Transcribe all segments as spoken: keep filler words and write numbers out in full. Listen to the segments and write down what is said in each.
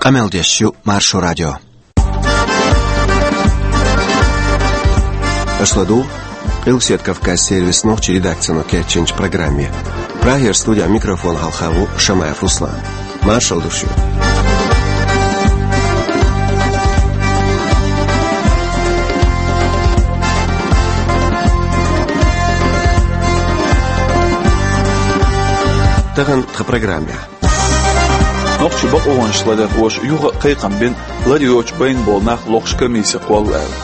Къамел деш ю Маршо радио. Аша ладугӀу Къилбаседа Кавказан сервисан нохчийн редакцино кечйинчу программе. Прагера студин микрофона хьалха ву Шамаев Руслан. Маршалла ду шуьга. Тахана тхан программехь. Нохчийн бакъонаш ларъярхоша юха а кхайкхам бина, лар йоцуш байна болу нах лохуш комисси кхолла аьлла.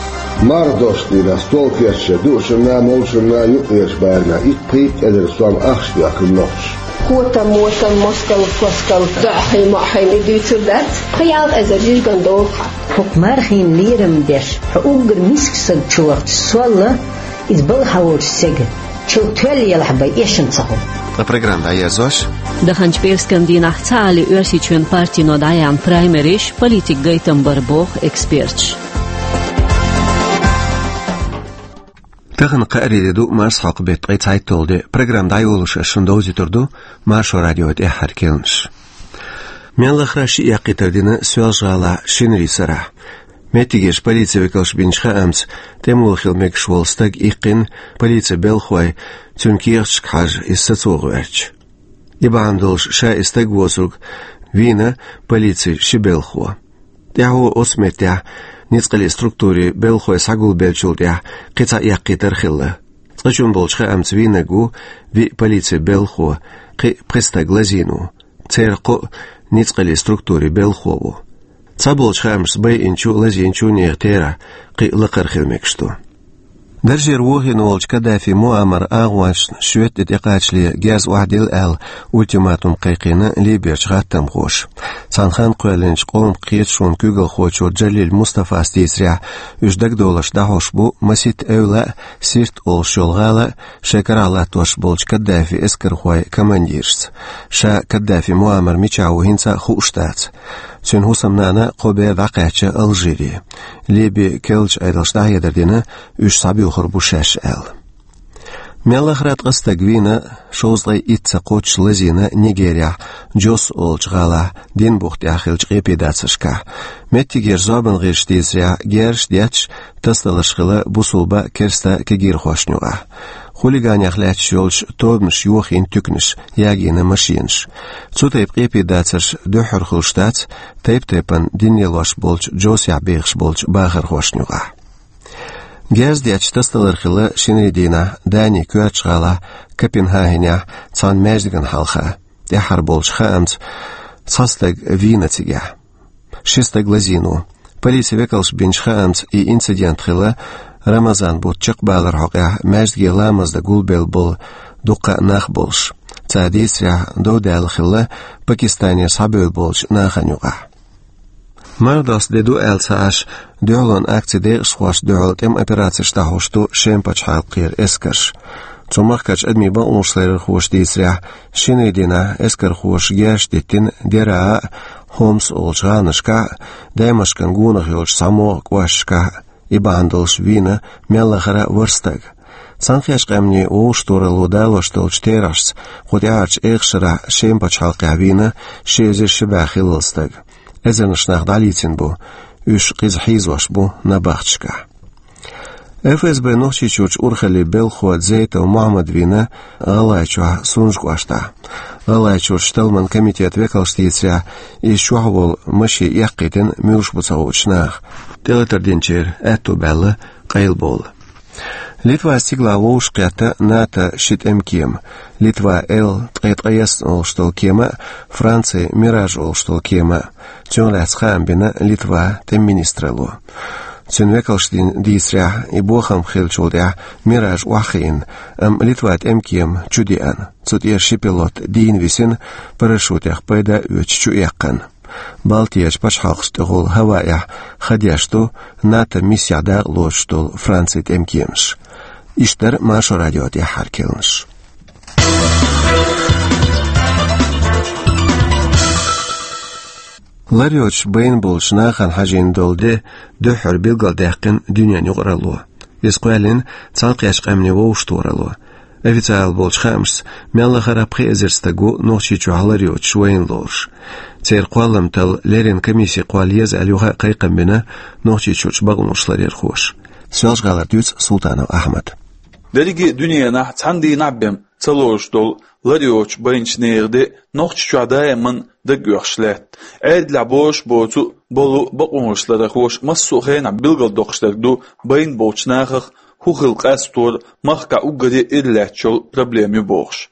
Марха дош дийна, стол кечъян, дуушна, молушна, юккъерчу барамехь итт-пхийтта эзар сом ахча доьхкина нохчаша. Котам-мотам, москал-поскал, доӀахий-моӀахий и дуьйцур дац, пхи-ялх эзар жижиган долу хьан. ХӀокху мархийн лерам деш, хьо уггар миска саг чу вахча солла, иза балха волчу стеган чул тоьлла елахь бен эшам ца хуьлу. Ткъа программа дӀаерзош. Даханчу пӀераскан дийнахь цхьаалле Оьрсийчоьнан партино дӀаяьхьна праймериш политикан гайтам бара боху эксперташа. Тахана кхаарин де ду, марсхьокху беттан ткъе цхьайтталгӀа де. Программа дӀайолош ас шуна довзуьйтур ду Маршо радион тӀаьххьара керланаш. Мел лахара шиъ яккхийтар дина Соьлжа-ГӀалахь шинарин сарахь. Меттигерчу полицин векалша бинчу хаамца, тӀемалой хила мегаш волу стаг иккхина полицин белхахой, цуьнан кехаташка хьажа, иза сацо гӀоьртича. И бахьана долуш ша и стаг воцург вийна полицин ши белхахо. ТӀаьхьо оцу меттехь ницкъаллин структурийн белхахой схьагулбеллачул тӀаьхьа кхин цхьа яккхийтар хилла. Цкъачунна болчу хаамца вийнарг ву виъ полицин белхахо, кхин пхи стаг лазийна ву. Церан кхоъ ницкъаллин структурийн белхахо ву. Цхьаболчу хаамашца, байинчу а, лазийначу а нехан терахь кхин а лакхара хила мегаш ду. Даржера вохийна волчу Каддафи Муаммаран агӀонашна шоьтан тӀе тӀекхачале герз охьадилла аьлла, ультиматум кхайкхийна Либерчу гӀаттамхоша. Цхьана ханна кхоьллинчу къоман кхеташонан куьйгалхочо Джалил Мустафас дийцарехь, уьш дагадовларш дӀахьош бу масийтта эвла а, Сирт олуш йолу гӀала а, шайн карахь латтош болчу Каддафин эскархойн командиршца. Ша Каддафи Муаммар мичахь ву хӀинца а хууш дац. Цуьнан хӀусамнана кхо бер дӀакхаьчна Алжире. Либин керлачу Ӏедалша дӀахьедар дина, уьш схьабоьхур бу шаьш аьлла. Мел лахара ткъа стаг вийна, шовзткъе итт ца кхоччуш лазийна Нигерехь Джос олучу гӀалахь, Дин бухтехь хиллачу къепедацаршкахь. Меттигерчу зорбанан гӀирсаша дийцарехь, герзаш детташ тасадаларш хилла бусулба, керста кегийрхошна юкъахь. Хулиганех лаьтташ йолчу тобанаша йохийна туьканаш, ягийна машенаш. Цу тайпа къепедацарш дуьххьара хуьлуш дац тайп-тайпана дин лелош болчу Джосехь бехаш болчу бахархошна юкъахь. Герз детташ тасадалар хилла шинарин дийнахь Данин коьртачу гӀалахь Копенгагенехь цхьана маьждигана хьалха. ТӀаьххьара болчу хаамца, цхьа стаг вийна цигахь. Ши стаг лазийна ву. Полицин векалша бинчу хаамца, и инцидент хилла Рамазан бутт чекхбаларан хьокъехь маьждиге ламаз дан гулбелла болу дуккха а нах болуш. Цара дийцарехь, дов даьлла хилла Пакистанера схьабевлла болчу нахана юкъахь. Марха доста де ду аьлла ца Ӏаш, дуьхьалонан акцин декъашхошна дуьхьал тӀеман операцеш дӀахьош ду Шеман пачхьалкхера эскарш. Цу махкарчу адамийн бакъонаш ларъярхоша дийцарехь, шинарин дийнахь эскархоша герзаш диттина Дераа а, Хомс олучу гӀаланашкахь а, Даймашкан гонах йолчу цхьамогӀа кӀошташкахь а. И бахьана долуш вийна мел лахара ворхӀ стаг. Цхьаьнакхеттачу Къаьмнийн Вовшахтохаралло далош долчу терахьашца, кху тӀаьхьарчу эха шарахь Шеман пачхьалкхехь вийна ши эзар ши бӀе хиллал стаг. Эзарнаш нах дӀалийцина бу, уьш кхузахь хьийзош бу набахташкахь. ФСБ-н Нохчийчуьрчу урхаллин белхахо Дзейтов Мухьаммад вийна ГӀалгӀайчохь Сунжа кӀоштахь. ГӀалгӀайчуьрчу талламан комитетан векалша дийцарехь, иза чохь волу машен эккхийтина муьлш бу ца хуучу наха. ТӀелатар динчеран аьтто баьлла къайлабовла. Литвас цигалахь вовшахкхетта НАТО ши тӀемкема: Литван Л ткъе ткъайесна олуш долу кема а, Францин Мираж олуш долу кема а. Цунах лаьцна хаам бина Литван тӀеман министралло. Цуьнан векалша дийцарехь, и бохам хиллачул тӀаьхьа Мираж охьахиъна, амма Литван тӀемкема чу деана. Цу тӀера ши пилот дийна висина, парашютех пайда а оьцуш чу эккхана. Балтийчу пачхьалкхашна тӀехула хӀаваэхь ха деш ду НАТО миссехь дакъа лоцуш долу Францин тӀемкемаш. Иштта дара Маршо радион тӀаьххьара керланаш. Лар йоцуш байна болчу нахана хьажийна долу де дуьххьара билгалдаьккхина дуьненан юкъаралло. Иза кхоьллина Цхьаьнакхеттачу Къаьмнийн Вовшахтохаралло. Официалан болчу хаамашца, мел лахара пхи эзар стаг ву Нохчийчохь лар йоцуш вайна лоруш. Церан кхоллам талла леррина комиссин кхолла еза аьлла юха а кхайкхам бина Нохчийчуьрчу бакъонаш ларъярхоша. Соьлжа-ГӀалара дуьйцу Султанов Ахьмада. Дерриге а дуьненахь цхьана дийнахь а бен ца лоруш долу лар йоцуш байначу нехан де Нохчийчохь даиман дагоьхуш лаьтта. Ӏедалехь бозуш а боцу, болу бакъонаш ларъярхоша массо а хенахь билгалдоккхуш дерг ду, байна болчу нахах хӀун хила къастор махкахь уггаре а иралаьтташ йолу проблема ю бохуш.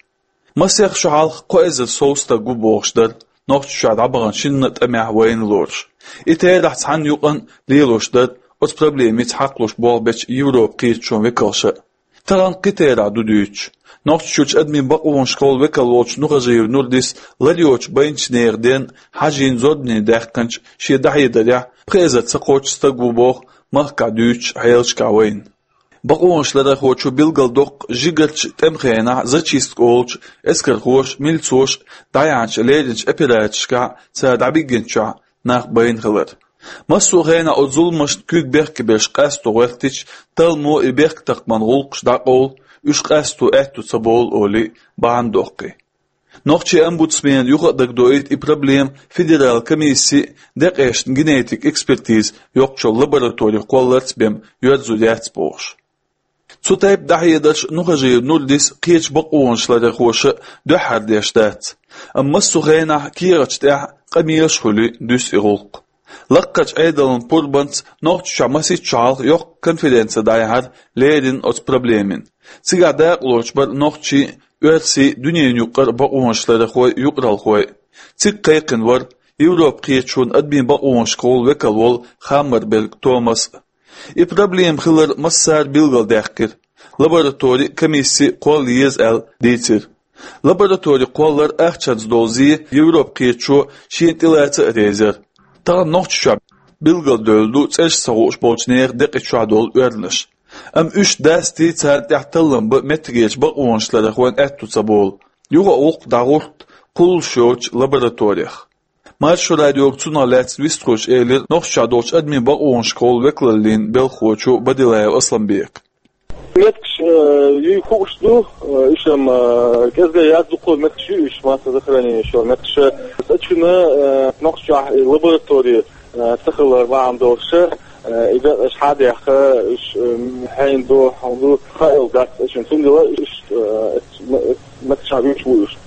Масех шо хьалха кхо эзар сов стаг ву бохуш дара Нохчийчохь дӀабахана шинна а тӀамехь вайна лоруш. И терахь цхьана юкъана лелош дара оцу проблемица хьакхалуш болх бечу Европан кхеташонан векалша а. Тахана кхин терахь ду дуьйцуш. Нохчийчуьрчу адамийн бакъонашкахула векал волчу Нухажиев Нурдис лар йоцуш байначу нехан ден хьажийна зорбане даьккхинчу шен дӀахьедарехь пхи эзар ца кхоччуш стаг ву боху махкахь дуьйцучу хьелашкахь вайна. Бакъонаш ларъярхочо билгалдоккху жигарчу тӀеман хенахь зачистка олучу эскархоша, милцоша дӀаяьхьначу лерринчу операцешкахь цара дӀабигинчохь нах байна хилар. Массо а хенахь оцу зуламашна куьг бехке берш къасто гӀоьртича, талламо и бехктакхаман гӀуллакхаш дӀакъовла, уьш къасто аьтто ца болу олий бахьана доккхий. Нохчийн омбудсмена юха а дагадоуьйту и проблема федералан комиссин декъешна генетик экспертиза йоккхучу лабораторин кхолларца бен йоьрзур яц бохуш. Цу тайпа дӀахьедарш Нухажиев Нурдис кхечу бакъонаш ларъярхоша дуьххьара деш дац, амма массо а хенахь кехаташ тӀехь къамелаш а хуьлий дуьсу и гӀуллакх. Лаккхарчу Ӏедалан пурбанца Нохчийчохь масех шо хьалха йоккха конференци дӀаяьхьира леррина оцу проблемина. Цигахь дакъалоцуш бара нохчий а, оьрсий а, дуьненаюкъара бакъонаш ларъярхой а, юкъаралхой а. Цига кхайкхина вара Европан кхеташонан адамийн бакъонашкахула векал волу Хаммерберг Томас а. И проблема хилар массара а билгалдаьккхира. Лаборатори а, комисси а кхолла еза аьлла дийцира. Лаборатори кхоллар ахчанца долу зе Европан кхеташо шена тӀелаца а реза яра. Тахана Нохчийчохь билгалдевлла ду цӀераш ца хууш болчу нехан декъа чохь долу оьрнаш. Амма уьш дастий, царна тӀехь таллам бан меттигерчу бакъонаш ларъярхойн аьтто ца болу. Юха а гӀуллакх дӀагӀорта кхуллуш йоцучу лабораторех. Маршо радиога цунах лаьцна вистхуьлуш элира Нохчийчохь долчу адамийн бакъонашкахула векалаллин белхахочо Бадилаев Асламбека. Меттигаш, э, юй хууш ду, э, уьш-м, э, кӀезга яц, дуккха а меттигаш ю уьш, массового захоронения йолу меттигаш. Цу чуьра, э, Нохчийчохь и лаборатори, э, ца хилар бахьана долуш, э, и декъаш хьа а даьхна, уьш, э, хьенан ду, хьан ду, хаийла дац цу чуьра. Цундела уьш, э, м-, меттигаш хьан вуьйцуш ву уьш.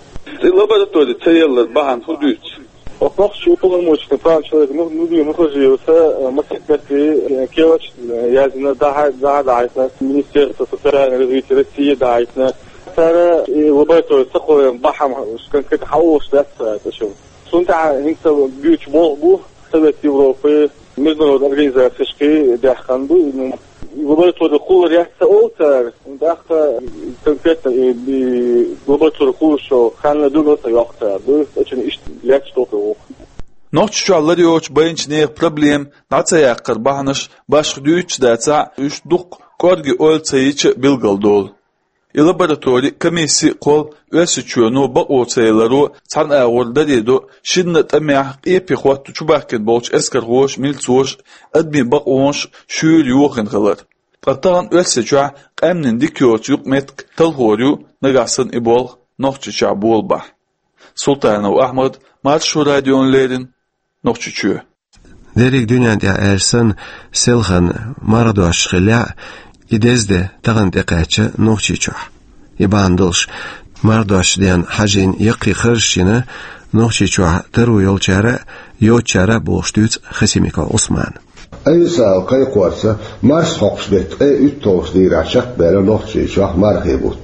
И лаборатори ца еллар бахьана хӀун дуьйцу? Оцу нохчийн уполномоченный права человека, ну, ну, Нухажиевца, э, масех метте, э, кехаташ, э, яздина, дӀа-, дӀа-, дӀахьаьжна, Министерство социального развития России дӀахьаьжна. Цара и лаборатори ца кхолларан бахьана конкретно хьан олуш дац цара цу чуьра. Цунна тӀехь хӀинца буьйцуш болх бу Совет Европы, международные организацешкахь даьккхина ду, ну, лаборатори кхуллур яц ца олу цара, тӀаккха конкретно и, и лаборатори кхуллуш йолу хан билгал ца йоккху цара. Ду, цу чуьра иштта лаьтташ долу тӀе ву. Нохчийчохь лар йоцуш байначу нехан проблема дӀа ца яккхар бахьанаш башха дуьйцуш дацахь а, уьш дуккха кӀорге ойла ца йича а билгалдолу. И лаборатори, комисси а кхолла Оьрсийчоьно бакъо ца яларо цхьана агӀор даре до, шинна а тӀамехь къепе хӀотта чубаьхкина болчу эскархоша, милцоша адамийн бакъонаш шуьйра йохийна хилар. Ткъа тахана Оьрсийчохь къаьмнийн дика йоцу юкъаметтиг талхор ю, нагахь санна и болх Нохчийчохь болабахь. Султанов Ахьмад, Маршо радиона леррина, Нохчийчоь. Дерриг дуьнен тӀехь аьлча санна, селхана марха дош хиллехь а, и деза де тахана тӀекхаьчна Нохчийчохь. И бахьана долуш, марха дош ден хьажийна яккхий харжаш йина Нохчийчохь таро йолчара а, йоцучара а бохуш дуьйцу Хасимиков Ӏусмана. Официалан кхайкхорца, марсхьокхуш дерг ткъе уьтталгӀачу дийнахь чекхбаьлла Нохчийчохь мархийн бутт.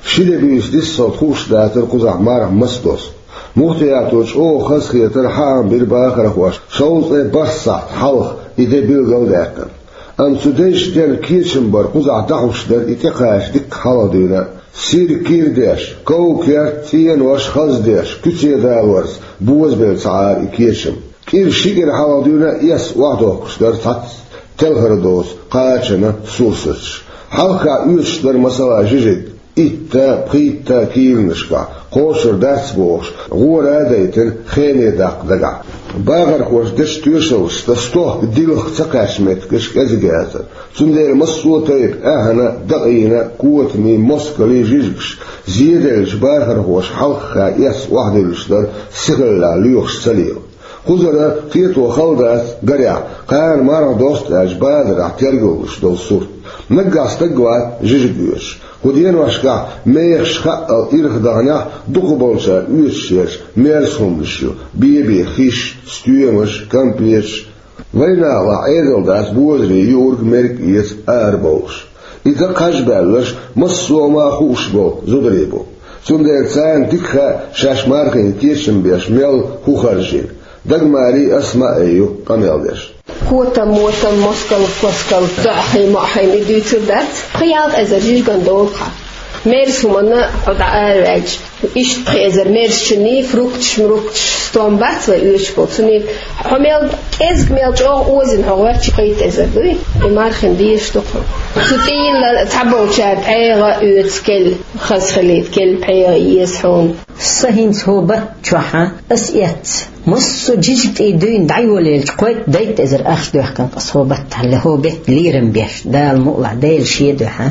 Ши де буьйса диссалт хууш дацара кхузахь марха маса дозу. Муфтиято чӀогӀа хазахетар хьаам бира бахархошна, шовзткъе бархӀ сахьт хьалха и де билгал а даьккхина. Амма цу дезачу ден кечам бар кхузахь дӀахьуш дара и тӀекхача дикка хьалха дуьйна а. Сирг кийра деш, ков-керт, цӀенош хаза деш, куьце далорца бозабелла ца Ӏара и кечам. КӀира ши кӀира хьалха дуьйна а эс охьадохкуш дара цхьацца телхар доцу кхачанан сурсаташ. Хьалххе оьцуш дара, масала, жижиг, итта, пхийтта килонашкахь, кхошур дац бохуш, гӀора а дайтина, хене даккха дагахь. Бахархоша дечу тоьшаллашца стохка дилха ца кхаьчча меттигаш кӀезиг яцара. Цундела массо а тайпа аьхна, дакъийна, котамийн, москалийн жижигаш, зеделлачу бахархоша хьалххе эцна охьадиллаш дара, сихаллехь лоьхуш ца лела. Кхузара кхето хала дац, гарехь, кхана марха досту аьлча базарахь тергаллуш долу сурт. Наггахь стаг вац жижиг оьцуш. Кху деношкахь мехаш хаъал ирх даханехь, дукхахболчара оьцуш ерш мерза хӀуманаш ю: бен-бен хиш, стоьмаш, кампеташ. Вайнахалахь Ӏедал дац бозарий юург, мерг эца арабовлуш. И дакъа хьажа баьлларш массо а хӀума хууш болу зударий бу. Цундела царна дика хаьа шаьш мархийн кечам беш мел хӀу харжийна. Дагмари Асмаи ю къамел деш. Котам-мотам, москал-паскал, доӀахий-моӀахий и дуьйцур дац. Пхи-ялх эзар жижиган долу хьан. Мерза хӀуманна хьо дӀаараваьлча, иштта пхи эзар мерзачунний фрукташ-мрукташ стом бац вай оьшуш болу. Цуьнан хьо мел кӀезиг, мел чӀогӀа озийна хьо гӀоьртча, пхийтта эзар дуй, и мархина дезаш ду хьуна. Цу тӀе йилла цхьаболчара пхьегӀа оьцу, кел хаза хилийта, кел пхьегӀа еза хьуна. Сан хӀинца хӀокху баттахь чохь ас эцна массо а жижиг тӀе дуьйна дӀайолаелча, кхойтта-дейтта эзар ахча доьхкина ас хӀокху баттахь, хӀокху беттан лерам беш, Дала мукъалахь, Делан шен дуьхьа.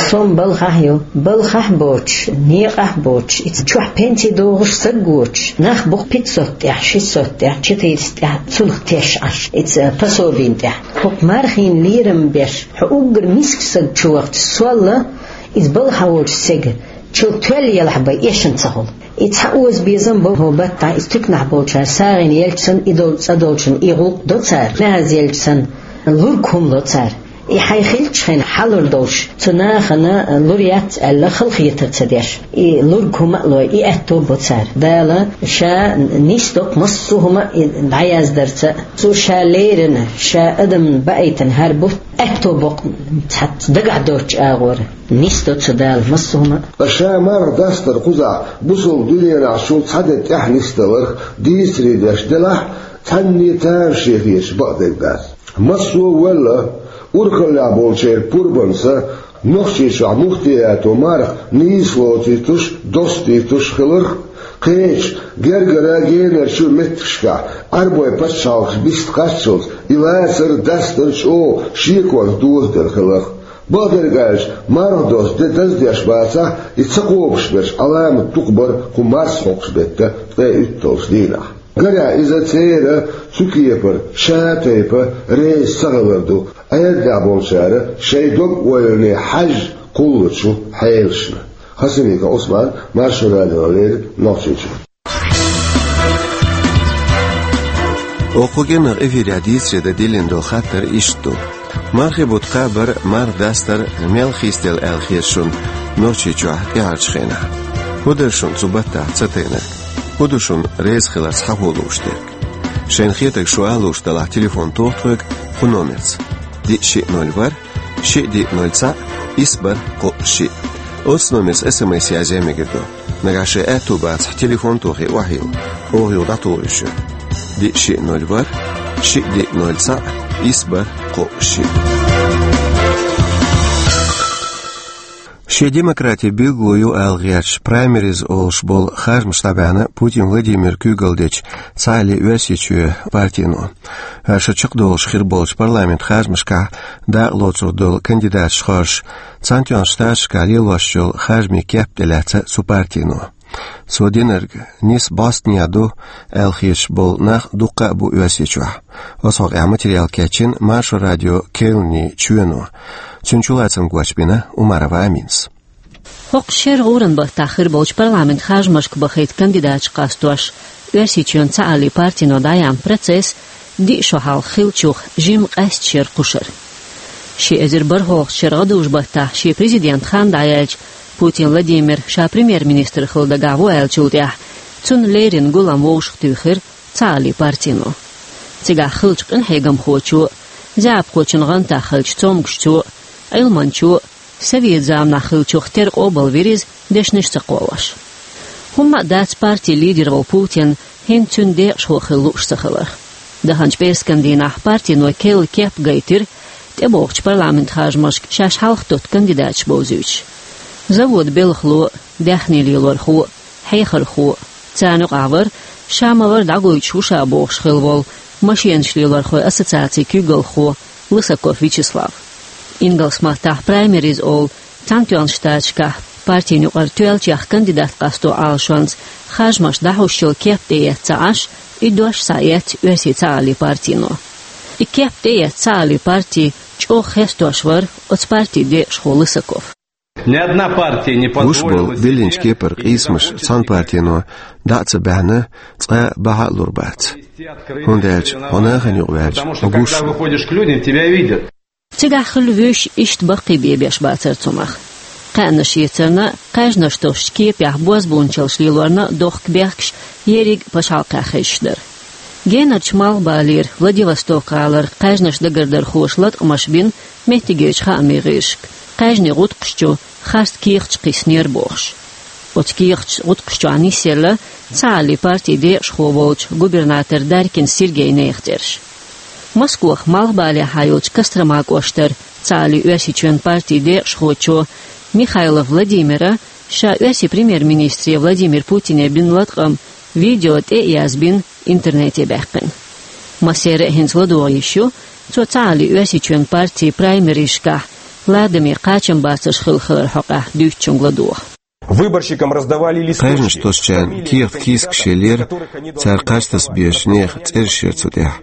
Сом балхахь ю, балхахь а боцуш, некъахь а боцуш, и чохь пенси дохуш саг воцуш, нах бу-кх пятьсот тӀехь, шестьсот тӀехь, четыреста тӀехь, цунах теш Ӏаш, и пособина тӀехь. ХӀокху мархина лерам беш, хьо уггар миска саг чу вахча, сол а, иза балхахь волчу стеган чул тоьлла елахь бен эшна ца хуьлу. И цхьа оза безам бу хӀокху баттахь, иза туьканахь болчара сагӀина елча санна, и долу цӀа долчунна и гӀуллакх до цара, нахаца елча санна, лург хӀума ло цара. И хьайн хилча хьайна хьалур долуш, цу нахана лур яц аьлла, халахетар ца деш, и лург хӀума а лой, и аьтто бо цара. Дала Ша нисдо-кх массо а хӀума а, и дӀаяздарца. Цо Ша леррина, Ша адамна баийтина хӀара бутт аьтто бо-кх, цхьацца дагахь доцучу агӀора нисдо цу Дала массо а хӀума а. Ткъа Ша марха дастар кхузахь бусалба дуьненахь шул цхьа де тӀаьхьа нисдаларх дийцаре деш делахь, цхьанне а тамаше хеташ бакъдерг дац. Массо а велла, урхаллехь болчеран пурбанца Нохчийчохь муфтиято марха нийса лоцуьйтуш, достуьйтуш хиларх, кхечу гергара генарчу меттигашкахь Ӏарбойн пачхьалкхаш биста кхаччалц и лацар, дастар чӀогӀа шеконца дозаделла хиларх. Бакъдерг аьлча, марха досту де даздеш бацахь, и ца кхобуш берш Ӏаламат дукха бара кху марсхьокхуш беттан ткъе уьтталгӀачу дийнахь. Гарехь, иза церан цу кепара ша тайпа реза ца хилар ду, Ӏедалехь болчара шайн дог-ойлане хьаьжжа кхуллучу хьелашна. Хасимиков Ӏусман, Маршо радиона леррина, Нохчийчоь. Оха кху кӀиранах эфирехь дийцаре дан диллина долу хаттар иштта ду: мархийн бутт кхаба, марха дастар мел хийцаделла аьлла хета шуна Нохчийчохь тӀаьхьарчу хенахь? ХӀун дара шуна цу баттахь ца тайнарг? ХӀун ду шуна реза хиларца хьахо лууш дерг? Шайна хетарг шу ала лууш далахь, телефон тоха тхоьга кху номерца: диъ, шиъ, ноль, ворхӀ, шиъ, диъ, ноль, цхьаъ, исс, бархӀ, кхоъ, шиъ. Оццу номерца эс эм эс язъян мегар ду. Нагахь шайн аьтту бацахь, телефон тохий, охьайилла, оха юха дӀатухур ю шуьга. Диъ, шиъ, ноль, ворхӀ, шиъ, диъ, ноль, цхьаъ, исс, бархӀ, кхоъ, шиъ. Шен демократи билгало ю ала гӀерташ, праймериз олуш болу харжамаш дӀабаьхьна Путин Владимира куьйгалла дечу Цхьааллин Оьрсийчоьнан партино. ХӀара шо чекхдолуш хир болчу парламентан харжамашкахь дакъа лоцур долу кандидаташ хоржуш, Цхьаьнатоьхначу Штаташкахь лелош йолу харжамийн кеп тӀелаьцна цу партино. Цо динарг нийса бӀостанехьа ду аьлла хеташ болу нах дуккха а бу Оьрсийчохь. Оцу хьокъехь материал кечйина Маршо радион керланийн чоьно. Цуьнан чулацам гочбина Умарова Аминас. ХӀокху шеран гӀуран баттахь хир болчу парламентан харжамашка бахийта кандидаташ къастош, Оьрсийчоьнан Цхьааллин партино дӀаяьхьна процесс диъ шо хьалха хиллачух жимма къаьсттина шера кхушара. Ши эзар бархӀалгӀачу шеран гӀадужу баттахь шен президентан хан дӀаяьлча, Путин Владимир ша премьер-министр хила дагахь ву аьллачул тӀаьхьа, цунна леррина гулам вовшахтуьйхира Цхьааллин партино. Цигахь хиллачу къинхьегамхочо, заьӀапхочун гӀантах хиллачу цомгушчо, Ӏилманчо, совет заманахь хиллачух тера къобалвира иза, дешнаш ца кхоллуш. ХӀумма а дац партин лидер волу Путин хӀинца цуьнан декъашхо хила лууш ца хиларх. Даханчу пӀераскан дийнахь партино керла кеп гайтира, тӀебогӀучу парламентан харжамашка шаьш хьалха тотту кандидаташ бовзуьйтуш. Заводан белхало, даьхни лелорхо, хьехархо, царна юкъахь вара Ша ма вара дӀагойтуш ву ша бохуш хилла волу машенаш лелорхойн ассоциацин куьйгалхо Лысаков Вячеслав. Ингалс маттахь праймериз олу Цхьаьнатоьхначу Штаташкахь партин юкъара тоьллачех кандидат къасто Ӏалашонца харжамаш дӀахьуш йолу кеп тӀеэцна ца Ӏаш, и дош схьаэцна оьрсийн Цхьааллин партино. И кеп тӀеэцна Цхьааллин парти чӀогӀа хестош вара оцу партин декъашхо Лысаков. Ни одна партия не позволила себе... Гуш болу биллинчу кепара къийсамаш цхьана партино дӀа а ца баьхьна, цкъа а бахьа а лур бац. ХӀунда аьлча хьо нахана юкъа ваьлча, хьо гуш ву. Когда выходишь к людям, тебя видят. Цигахь хилла вуьйш иштта баккхий бен беш бацара цунах. Кхаьънаш ецарна, кхаьжнаш тосучу кепехь бозбуунчаллаш лелорна дохка бехкаш ерриг а пачхьалкхехь хезаш дара. Генарчу Малхбалера, Владивосток-гӀалара кхаьжнаш дагардархоша латкъамаш бина меттигерчу хаамийн гӀирсашка, кхаьжнийн гӀутакхаш чу харц кехаташ кхиссинера бохуш. Оцу кехатийн гӀутакхаш чохь нисъелла Цхьааллин партин декъашхо волчу губернатор Дарькин Сергейн нехан цӀераш. Москвахь Малхбалехьа йолчу Кострома кӀоштара Цхьааллин Оьрсийчоьнан партин декъашхочо Михайлов Владимира ша оьрсийн премьер-министре Владимир Путине бина латкъам видео тӀе а язбина, интернете баьккхина. Массеран а хӀинца ладогӀа йиш ю, цо Цхьааллин Оьрсийчоьнан партин праймеризашкахь ладаме кхачамбацарш хилла хиларан хьокъехь дуьйцучуьнга ладогӀа. Выборщикам раздавали листочки. Кхаьжнаш тосучарна кехат кийсакаш еллера, цара кхаж таса безачу нехан цӀераш яра цу тӀехь.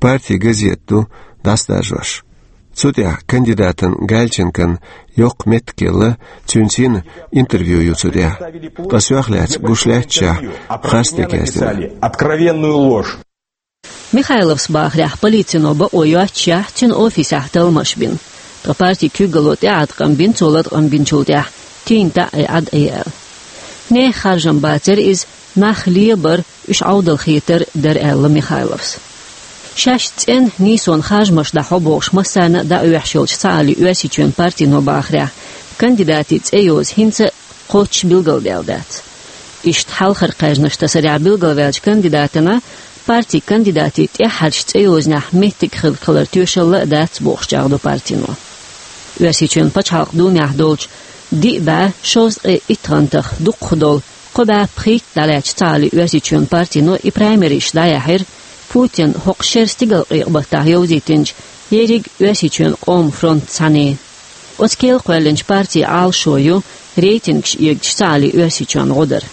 Партин газета ду дӀасадаржош. Цу тӀехь кандидатан Гальченкон йоккха меттиг елла, цуьнца йина интервью ю цу тӀехь. Ткъа сох лаьцна гуш лаьтташехь, харц дерг яздина. Откровенную ложь. Михайловс бахарехь, полицино бакъо йоццушехь, цуьнан офисехь талламаш бина. Ткъа партин куьйгалло тӀеӀаткъам бина цо латкъам бинчул тӀаьхьа, тийна таӀий Ӏад Ӏе аьлла. Нехан харжам бацара иза, нах лебар, уьш Ӏовдалхетар дара аьлла Михайловс. Шаьш цӀена нийсонан харжамаш дӀахьо бохуш массарна а дӀаоьхуш йолчу Цхьааллин Оьрсийчоьнан партино бахарехь, кандидатийн цӀе йоза хӀинца а кхоччуш билгалдаьлла дац. Иштта хьалхара кхаьжнаш тасарехь билгалваьллачу кандидатана партин кандидатийн тӀаьххьарчу цӀе йозанехь меттиг хилла хиларан тоьшалла а дац бохуш чӀагӀдо партино. Оьрсийчоьнан Пачхьалкхан Думехь долчу диъ бӀе шовзткъе итт гӀантах дукхахдолу кхо бӀе пхийтта дӀалаьцначу Цхьааллин Оьрсийчоьнан партино и праймеризаш дӀаяьхьира Путина хӀокху шеран стигалкъекъа баттахь йовзийтинчу ерриг Оьрсийчоьнан къоман фронтаца цхьаьна. Оцу кел кхоьллинчу партин Ӏалашо ю рейтингаш эгачу Цхьааллин Оьрсийчоьнна гӀо дар.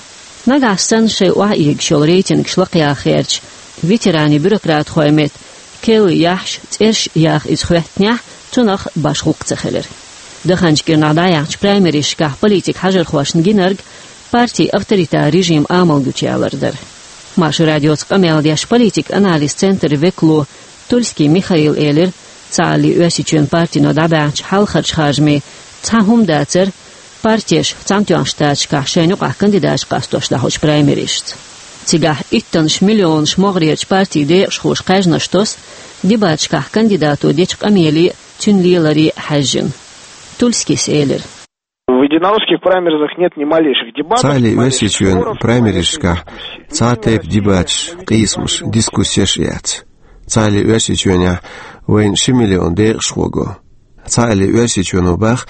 Нагахь санна шайн охьаэгаш йолу рейтингаш лакхаяха гӀертачу ветеранийн бюрократхойн метта керла яхьаш, цӀераш яха иза хӀоьттинехь, цунах башха гӀуллакх ца хилира. Даханчу кӀирнахь дӀаяьхьначу праймеризашкахь политикан хьажархошна гинарг партин авторитаран режим амалдича ялар дара. Маршо радиоца къамел деш политикан анализан центран векало Тульский Михаила элира, Цхьааллин Оьрсийчоьнан партино дӀабаьхьначу хьалхарчу харжамийн цхьа хӀума дацара, партеш Цхьаьнатоьхначу Штаташкахь шайна юкъахь кандидаташ къастош дӀахьочу праймеризашца. Цигахь иттаннаш миллионаш могӀарерчу партин декъашхоша кхаьжнаш тосу, дебаташкахь кандидато дечу къамеле а, цуьнан леларе а хьаьжжина. Тульскийс элира: В единороссских праймеризах нет ни малейших дебатов, ни малейших споров, ни малейших дискуссий. Цхьааллин Оьрсийчоьнан праймеризашкахь цхьа а тайпа дебаташ, къийсамаш, дискуссеш а яц. Цхьааллин Оьрсийчоьнехь вайна ши миллион декъашхо го. Цхьааллин Оьрсийчоьно боху,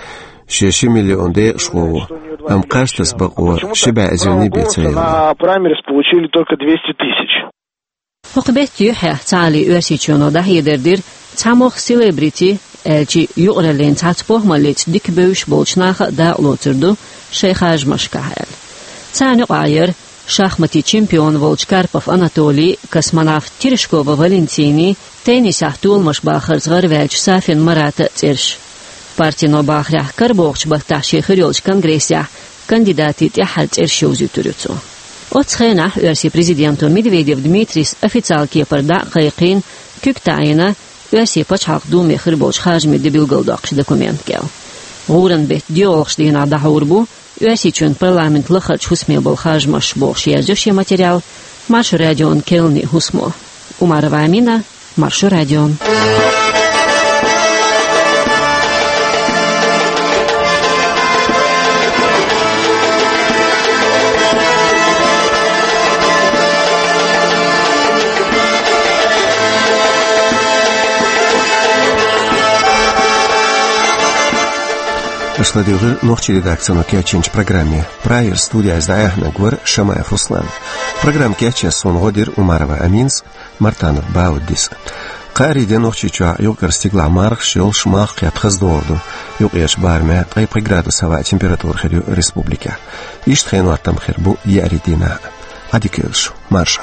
шен ши миллион декъашхо ву, амма кхаж таса бакъо ши бӀе эзарний бен ца елла. На праймериз получили только двести тысяч. ХӀокху беттан юьххьехь Цхьааллин Оьрсийчоьно дӀахьедар дира, цхьа могӀа селебрити, аьлча а юкъараллин цхьацца похӀмаллица дика бевзаш болчу наха а дакъалоцур ду шайн харжамашкахь аьлла. Царна юкъахь яра шахматийн чемпион волчу Карпов Анатолий, космонавт Терешкова Валентиний, теннисехь толамаш бахарца гӀарваьллачу Сафин Марата цӀераш. Партино бахарехь, карабохучу баттахь шен хир йолчу конгрессехь кандидатийн тӀаьххьара цӀераш йовзуьйтур ю цо. Оццу хенахь оьрсийн президенто Медведев Дмитрийс официалан кепара дӀа а кхайкхийна, куьг таӀийна Оьрсийн Пачхьалкхан Думе хир болчу харжамийн де билгалдоккхучу документан кӀел. ГӀуран беттан доьалгӀачу дийнахь дӀахьур бу Оьрсийчоьнан парламентан лахарчу хӀусаме болу харжамаш бохуш язйо шен материале Маршо радион керланийн хӀусамо. Умарова Амина, Маршо радио. Аш Ладугӏур нохчийн редакцино кечйинчу программе. Прагера студехь дӏаяьхьнарг вара Шамаев Руслан. Программа кечъеш суна гӏо дира Умарова Аминас, Мартанов Бауддис. Кхаарин де Нохчийчохь юкъара стигалахь мархаш йолуш, малх кхетта хаза догӏур ду. Юкъерчу барамехь ткъе пхи градус хьалха температура хир ю республикехь. Иштта хенан хӀоттам хир бу еарин дийнахь. Ӏадика йойла шу, марша.